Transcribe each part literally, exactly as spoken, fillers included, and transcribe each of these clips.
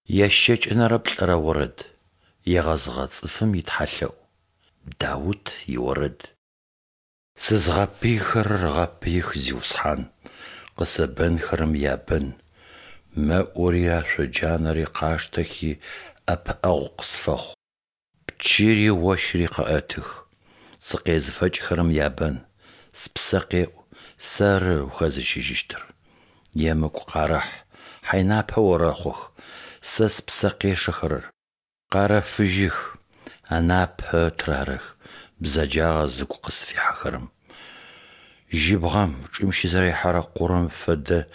Ящэкӏэнэрэ плӏырэ орэд. Егъэзыгъэ цӏыфым итхьалъэӏу. Даут иорэд. Сызгъэпыйхэрэр гъэпыих, Зиусхьан, къысэбэнхэрэм ябэн; мэӏури ашъоджанэри къаштэхи, ӏэпыӏэгъу къысфэхъу. Пчыри ощыри къэӏэтых, сыкъезыфэкӏхэрэм ябэн; спсэ къеӏу: Сэры ухэзыщыжьыщтыр. Емыкӏу къарэхь, хьайнапэ орэхъух сэ спсэ къешэхэрэр; Къарэфыжьых, анапэ тырарэх бзэджагъэ зыгу къысфихьэхэрэм. Жьыбгъэм, чӏым щызэрихьэрэ къурэм фэдэ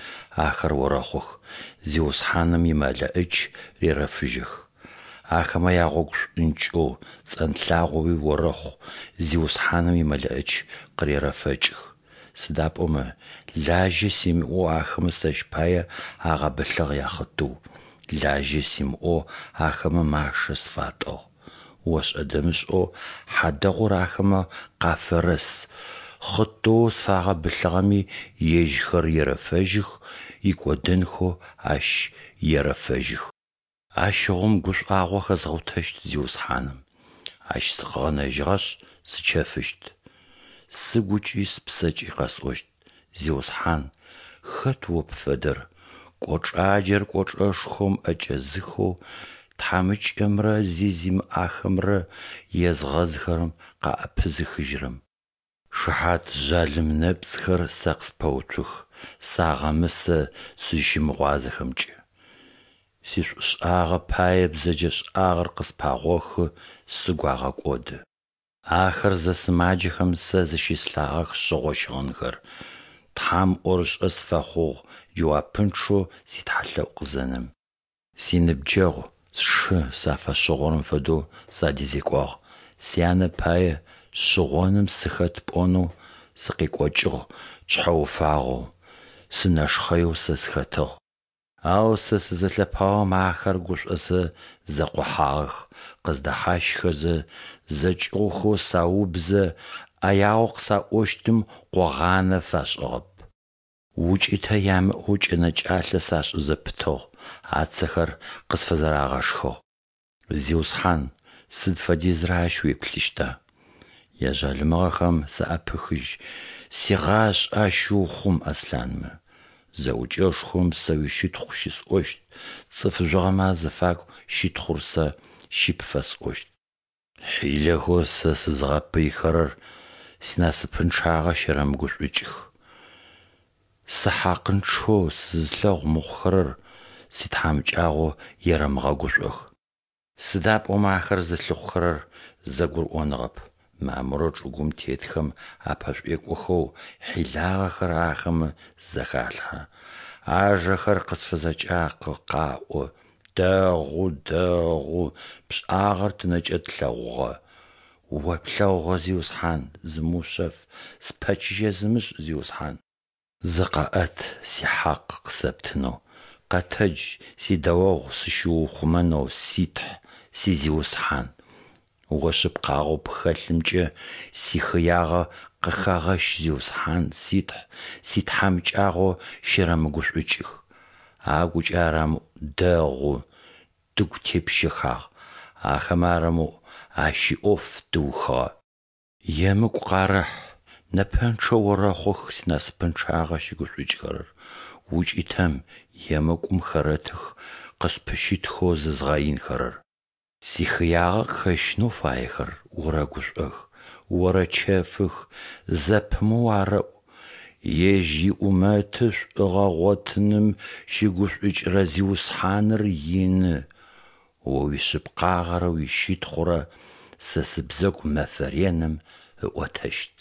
ахэр орэхъух, Зиусхьаным и МэлэӀич рерэфыжьэх. Ахэмэ ягъогу шӏункӏэу, цӏэнлъагъоуи орэхъу, Зиусхьаным и МэлэӀич къырерэфэкӏых. Сыда пӏомэ лажьэ симыӏэу ахэмэ сэщ пае агъэбылъыгъ яхъытыу, лажьэ симыӏэу ахэмэ машэ сфатӏыгъ. ОшӀэ-дэмышӀэу хьадэгъур ахэмэ къафэрэс, хъытыоу сфагъэбылъыгъэми ежьхэр ерэфэжьых, икӏодынхэу ащ ерэфэжьых. Ащыгъум гушӀуагъо хэзгъотэщт Зиусхьаным, Ащ сыкъыгъэнэжьыгъэшъ, сычэфыщт. Сыгукӏи спсэкӏи къэсӏощт: Зиусхьан, хэт О пфэдэр? Кӏочӏаджэр кӏочӏэшхом ӏэкӏэзыхэу, тхьамыкӏэмрэ зи зимыӏахэмрэ езгъэзыхэрэм къаӏэпызыхыжьырэм. Шыхьат жъалым нэпцӏхэр сэ къыспэуцух, сагъэмысэ сызщымыгъуазэхэмкӏэ. Сишӏушӏагъэ пае бзэджэшӏагъэр къыспагъохы, сыгу агъэкӏоды. Ахэр зэсымаджэхэм сэ зыщыслъагъэх шъыгъо щыгъынхэр, Тхьэм ӏорышӏэ сыфэхъугъ джэуапынчъэу ситхьалъэӏу къызенэм. Синыбджэгъу, сшы сафэшъыгъорэм фэдэу садезекӏуагъ, сянэ пае, шъыгъоным сыхэт пӏонэу, сыкъекӏокӏыгъ шъхьэуфагъэу, сынэшхъэеу сэ сыхэтыгъ. Ау сэ сызэлъэпаом ахэр гушӏозэ зэкъохьагъэх, къыздэхьащххэзэ, зэкӏыгъухэу саубзэ, ӏэягъэу къысаӏощтым къогъанэ фашӏыгъэп. Укӏытэ ямыӏэу кӏэнэкӏалъэ сашӏы зэпытыгъ, ацэхэр къысфызэрагъэшхыгъ. Зиусхьан, сыд фэдизрэ ащ уеплъыщта? Яжъалымыгъэхэм саӏэпыхыжь, сигъашӏэ ащыухъум аслъанмэ. Зэӏукӏэшхом сэ уищытхъу щысӏощт, цӏыф жъугъэмэ азыфагу щытхъур сэ щыпфэсӏощт. Хьилэхэу сэ сызгъэпыйхэрэр синасыпынчъагъэ щэрэмыгушӏукӏых, сыхьакъынчъэу сызылъэгъу мыхъухэрэр ситхьамыкӏагъо ерэмыгъэгушӏох. Сыда пӏомэ ахэр зылъыхъухэрэр зэгурыӏоныгъэп, мамырэу чӏыгум тетхэм апэшӏуекӏохэу хьилагъэхэр ахэмэ зэхалъхьэ. Ажэхэр къысфызэкӏакъо, къаӏо: "Дэгъу, дэгъу, пшӏагъэр тынэкӏэ тлъэгъугъэ". О плъэгъугъэ, Зиусхьан, зымыушъэф, спэчыжьэ зымышӏ, Зиусхьан. Зыкъэӏэт, сихьакъ къысэптынэу, къэтэдж, сидэогъу сыщыуухъумэнэу, си Тхь, си Зиусхьан! О шъыпкъагъэу пхэлъымкӏэ сихыягъэ къыхэгъэщ, Зиусхьан, си Тхь, ситхьамыкӏагъо щэрэмыгушӏукӏых. Агукӏэ арамыӏу: "Дэгъу, тыгу тепщэхагъ!" Ахэмэ арамыӏу: "Ащ иӏоф тыухыгъэ!" Емыкӏу къарэхь, нэпэнчъэ орэхъух синасыпынчъагъэ щыгушӏукӏыхэрэр, укӏытэм, емыкӏум хэрэтых къыспыщытхэу зызгъэинхэрэр. Сихыягъэ къыхэщынэу фаехэр орэгушӏох, орэчэфых, зэпымыоу арэӏу: «Ежь иӏумэты шӏугъэ ыгъотыным щыгушӏукӏырэ Зиусхьаныр ины!» О уишъыпкъагъэрэ уищытхъурэ сэ сыбзэгу мэфэ реным ыӏотэщт.